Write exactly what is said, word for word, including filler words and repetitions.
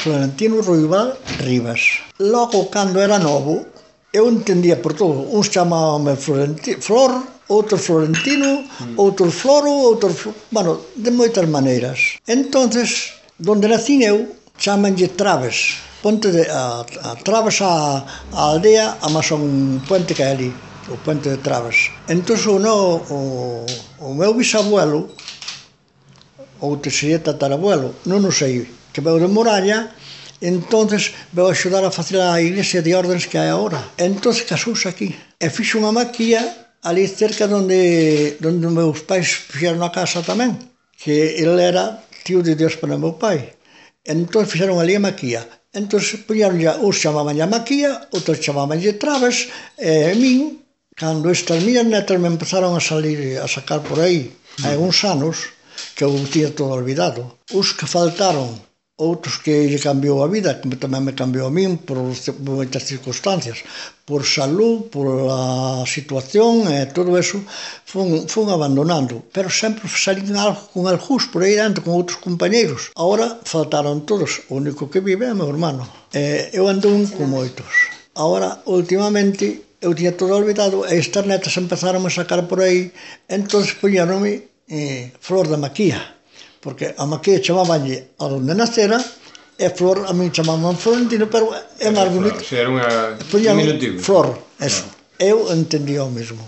Florentino Ruibal Rivas. Logo, cando era novo, eu entendía por todo. Uns chamábame Florenti, Flor, outros Florentino, mm. outros Floro, outros... Bueno, de moitas maneiras. Entonces, donde nacín eu, chamanlle Traves. Ponte de, a, a Traves a, a aldea, a máis un puente que hai ali, o puente de Traves. Entón, o, no, o, o meu bisabuelo, ou te sería tatarabuelo, non o sei, que veu de Moralla, entonces veu axudar a facer a iglesia de órdenes que hai agora. Entonces casouse aquí e fixo unha maquilla ali cerca donde donde meus pais fixeron a casa tamén, que ele era tío de Dios para meu pai. Entón fixeron ali a maquilla. Entón puñeron ya, uns chamaban a maquilla, outros chamaban Traves, e a min, cando estas miñas netas me empezaron a salir, a sacar por aí, hai uns anos, que eu tinha todo olvidado. Os que faltaron, outros que lle cambiou a vida, que tamén me cambiou a min por moitas circunstancias, por salud, por a situación e todo eso, fun, fun abandonando, pero sempre salín algo con algúns por aí dentro, con outros compañeiros. Agora faltaron todos, o único que vive é meu hermano. Eh, eu ando un con moitos. Agora, últimamente, eu tinha todo olvidado e estas netas empezaron a sacar por aí, entón poñeronme eh, Flor da Maquía, porque a maquilla chamabanlle a donde nacera e Flor, a mí chamaban Florentino, pero é máis bonito. Si, era un diminutivo. Flor, eso. Eu entendía o mesmo.